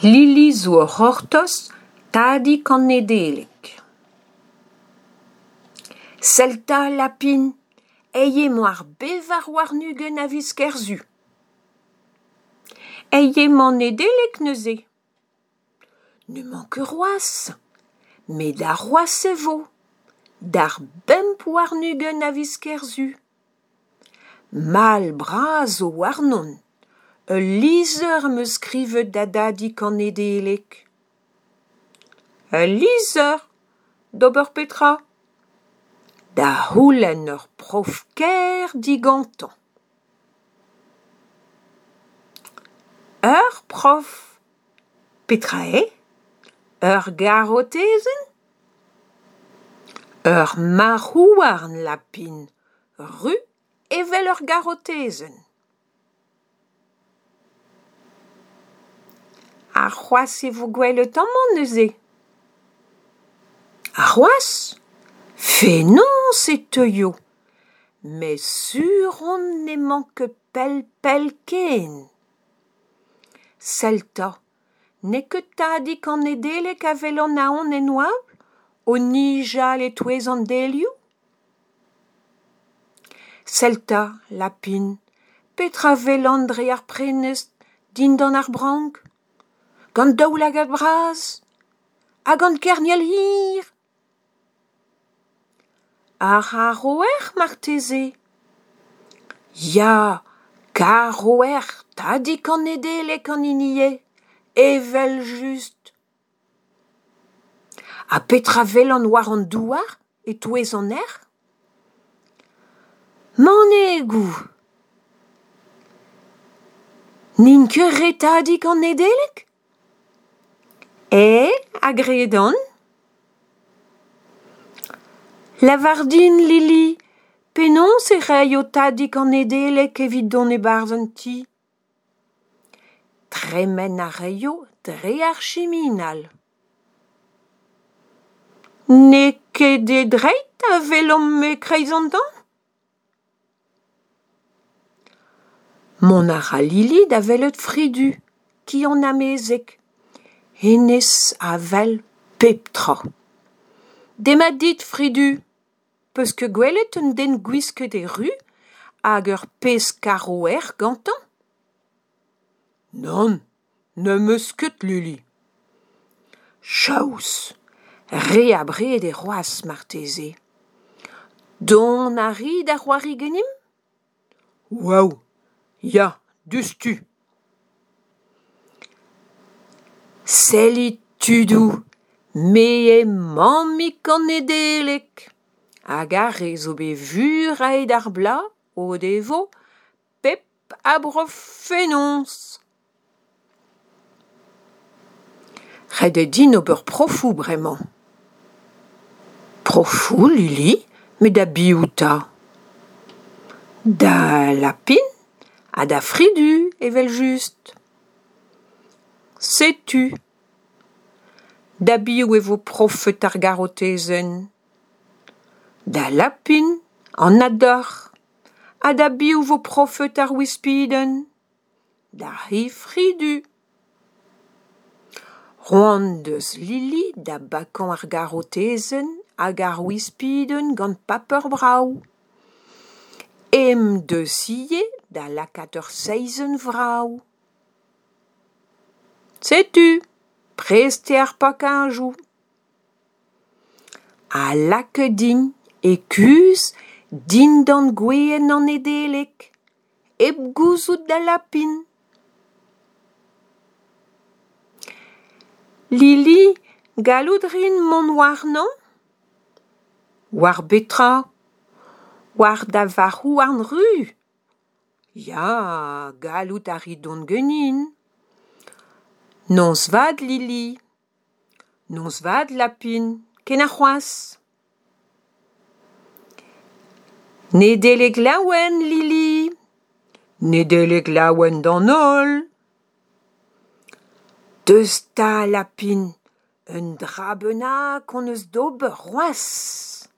Lili zo o c'hortoz Tadig an Nedeleg. Sell 'ta, lapin, aet emañ ar 24 a viz Kerzu. Aet emañ Nedeleg neuze. N'emañ ket c'hoazh, met arc'hoazh e vo, d'ar 25 a viz Kerzu. Mall bras zo warnon, ul lizher am eus skrivet da Dadig an Nedeleg. Ul lizher ? D'ober petra ? Da c'houlenn ur prof kaer digantañ. Ur prof ? Petra eo ? Ur garotezenn ? Ur marc'h-houarn, lapin, ruz evel ur garotezenn. Arc'hoazh e vo gwelet amañ neuze. Arc'hoazh ? Fenoz e teuio met sur on n'emañ ket pell-pell ken. Sell 'ta, n'eo ket Tadig an Nedeleg a welan ahont en oabl o nijal e-touez an delioù ? Sell 'ta, lapin, petra a welan dre ar prenestr dindan ar brank ? Gant daoulagad bras ha gant kerniel hir ! Ar c'harv-erc'h marteze ? Ya, Karv-erc'h Tadig an Nedeleg an hini eo, evel-just. Ha petra a welan war an douar e-touez an erc'h ? Manegoù ! N'int ket re Tadig an Nedeleg ? Eo, a gredan. Lavar din, Lili, penaos e raio Tadig an Nedeleg evit dont e-barzh an ti ? Tremen a raio dre ar chiminal. N'eo ket e dreid a welan e-kreiz an tan ? Mont a ra Lili da welet Fridu, ki an amezeg. Hennezh a wel pep tra. Demat dit Fridu ! 'Peus ket gwelet un den gwisket e ruz hag ur pezh karv-erc'h gantañ ? Nann, ne'm eus ket Lili. Chaous ! Re abred eo c'hoazh marteze. Dont a ri da c'hoari ganimp ? Waou ! Ya, diouzhtu ! Sellit tudoù, me eo Mammig an Nedeleg ! Hag ar re zo bet furaet ar bloaz o devo pep a brof fenoz. Ret eo din ober profoù bremañ. Profoù, Lili ? Met da biv 'ta ? Da Lapin ha da Fridu evel-just. Setu. Da biv e vo profet ar garotezenn ? Da Lapin, anat deoc'h. Ha da biv e vo profet ar wispidenn ? D'ar c'hi Fridu. C'hoant 'deus Lili da bakañ ar garotezenn hag ar wispidenn gant paper brav. Ezhomm 'deus ivez da lakaat ur seizenn vrav. Setu, prest eo ar pakajoù. Ha lakaet int e-kuzh dindan gwezenn an Nedeleg, hep gouzout da Lapin. Lili, gallout a rin mont warnañ ? War betra ? War da varc'h-houarn ruz ? Ya, gallout a ri dont ganin. Noz vat Lili. Noz vat Lapin, ken arc'hoazh. Nedeleg laouen Lili ! Nedeleg laouen d'an holl ! Deus 'ta Lapin, un dra bennak hon eus d'ober c'hoazh.